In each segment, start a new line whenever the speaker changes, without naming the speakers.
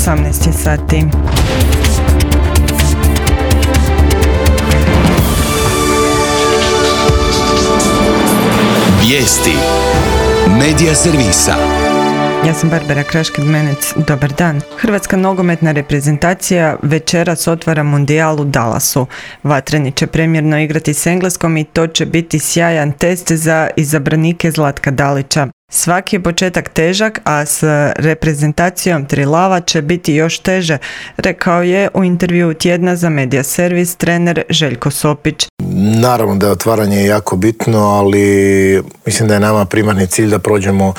18 sati.
Vijesti Medija servisa.
Ja sam Barbara Kraškid-Menec, dobar dan. Hrvatska nogometna reprezentacija večeras otvara mundijal u Dallasu. Vatreni će premjerno igrati s Engleskom i to će biti sjajan test za izabranike Zlatka Dalića. Svaki je početak težak, a s reprezentacijom Trilava će biti još teže, rekao je u intervjuu tjedna za Medija servis trener Željko Sopić.
Naravno da je otvaranje jako bitno, ali mislim da je nama primarni cilj da prođemo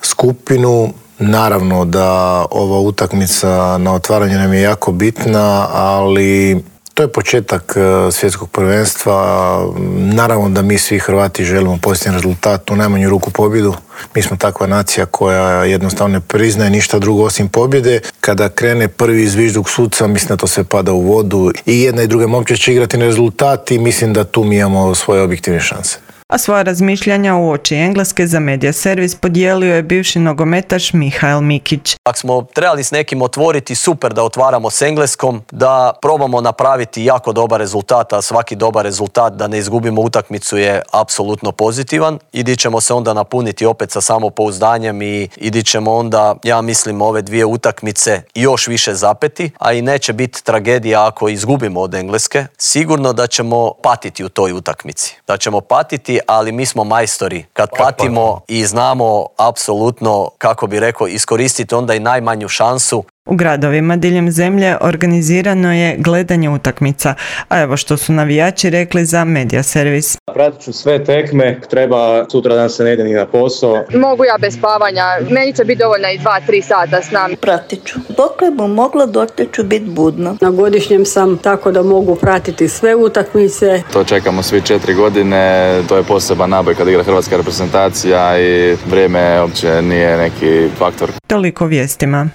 skupinu. Naravno da ova utakmica na otvaranje nam je jako bitna, ali to je početak svjetskog prvenstva. Naravno da mi svi Hrvati želimo pozitivan rezultat, u najmanju ruku pobjedu. Mi smo takva nacija koja jednostavno ne priznaje ništa drugo osim pobjede. Kada krene prvi zvižduk suca, mislim da to sve pada u vodu. I jedna i druga momčad će igrati na rezultat i mislim da tu mi imamo svoje objektivne šanse.
A svoja razmišljanja uoči Engleske za Medija servis podijelio je bivši nogometaš Mihael Mikić.
Ako smo trebali s nekim otvoriti, super da otvaramo s Engleskom, da probamo napraviti jako dobar rezultat, a svaki dobar rezultat da ne izgubimo utakmicu je apsolutno pozitivan. I di ćemo se onda napuniti opet sa samopouzdanjem i di ćemo onda, ja mislim, ove dvije utakmice još više zapeti, a i neće biti tragedija ako izgubimo od Engleske. Sigurno da ćemo patiti u toj utakmici. Da ćemo patiti, ali mi smo majstori kad patimo i znamo apsolutno, kako bi rekao, iskoristiti onda i najmanju šansu.
U gradovima diljem zemlje organizirano je gledanje utakmica, a evo što su navijači rekli za Medija servis.
Pratit ću sve tekme, treba sutra dan se ne ide ni na posao.
Mogu ja bez spavanja, meni će biti dovoljno i 2-3 sata s nama.
Pratit ću, dokle bi mogla, dokle ću biti budna.
Na godišnjem sam tako da mogu pratiti sve utakmice.
To čekamo svi 4 godine, to je poseban naboj kad igra hrvatska reprezentacija i vrijeme uopće nije neki faktor.
Toliko vijestima.